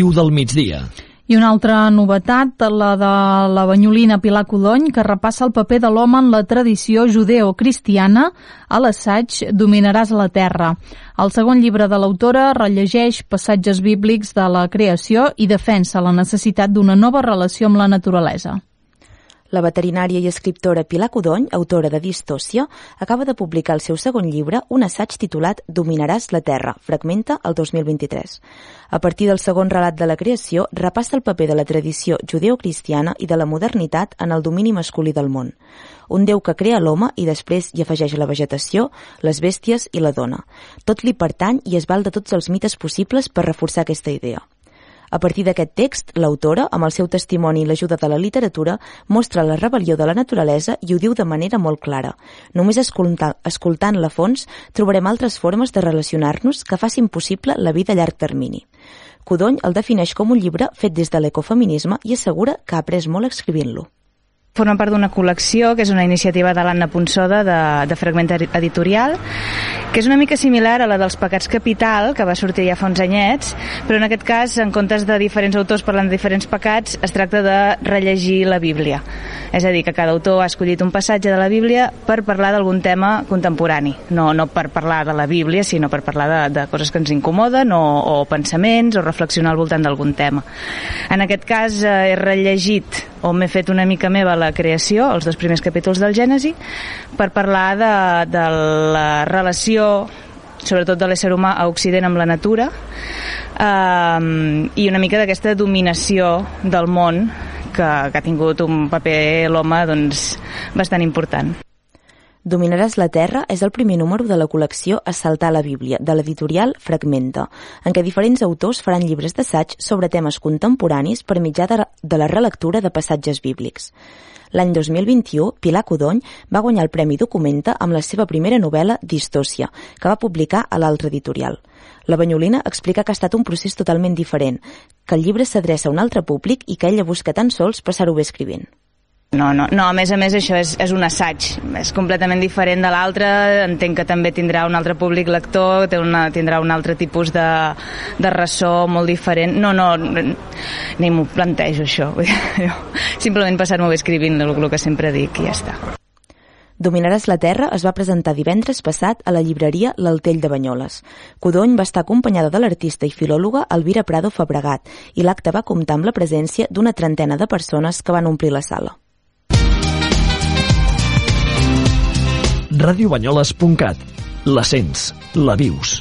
del migdia. I una altra novetat, la de la banyolina Pilar Codony, que repassa el paper de l'home en la tradició judeocristiana a l'assaig Dominaràs la terra. El segon llibre de l'autora rellegeix passatges bíblics de la creació i defensa la necessitat d'una nova relació amb la naturalesa. La veterinària i escriptora Pilar Codony, autora de Distòcia, acaba de publicar el seu segon llibre, un assaig titulat Dominaràs la terra, fragmenta el 2023. A partir del segon relat de la creació, repassa el paper de la tradició judeocristiana i de la modernitat en el domini masculí del món. Un déu que crea l'home i després hi afegeix la vegetació, les bèsties i la dona. Tot li pertany i es val de tots els mites possibles per reforçar aquesta idea. A partir d'aquest text, l'autora, amb el seu testimoni i l'ajuda de la literatura, mostra la rebel·lió de la naturalesa i ho diu de manera molt clara. Només escoltant-la a fons trobarem altres formes de relacionar-nos que facin possible la vida a llarg termini. Codony el defineix com un llibre fet des de l'ecofeminisme i assegura que ha après molt escrivint-lo. Forma part d'una col·lecció que és una iniciativa de l'Anna Ponsoda de Fragment Editorial, que és una mica similar a la dels Pecats Capital, que va sortir ja fa uns anyets, però en aquest cas, en comptes de diferents autors parlant de diferents pecats, es tracta de rellegir la Bíblia. És a dir, que cada autor ha escollit un passatge de la Bíblia per parlar d'algun tema contemporani. No per parlar de la Bíblia, sinó per parlar de coses que ens incomoden o pensaments o reflexionar al voltant d'algun tema. En aquest cas he rellegit o m'he fet una mica meva la creació, els 2 primers capítols del Gènesi, per parlar de la relació, sobretot de l'ésser humà a Occident amb la natura, i una mica d'aquesta dominació del món que ha tingut un paper l'home bastant important. Dominaràs la terra és el primer número de la col·lecció Assaltar la Bíblia, de l'editorial Fragmenta, en què diferents autors faran llibres d'assaig sobre temes contemporanis per mitjà de la relectura de passatges bíblics. L'any 2021, Pilar Codony va guanyar el Premi Documenta amb la seva primera novel·la Distòcia, que va publicar a l'altra editorial. La banyolina explica que ha estat un procés totalment diferent, que el llibre s'adreça a un altre públic i que ella busca tan sols passar-ho bé escrivint. No, a més això és un assaig, és completament diferent de l'altre, entenc que també tindrà un altre públic lector, tindrà un altre tipus de ressò molt diferent. No, ni m'ho plantejo això, simplement passar-m'ho bé escrivint el que sempre dic i ja està. Dominaràs la terra es va presentar divendres passat a la llibreria L'Altell de Banyoles. Codony va estar acompanyada de l'artista i filòloga Elvira Prado Fabregat i l'acte va comptar amb la presència d'una 30 de persones que van omplir la sala. radiobanyoles.cat. La sents, la vius.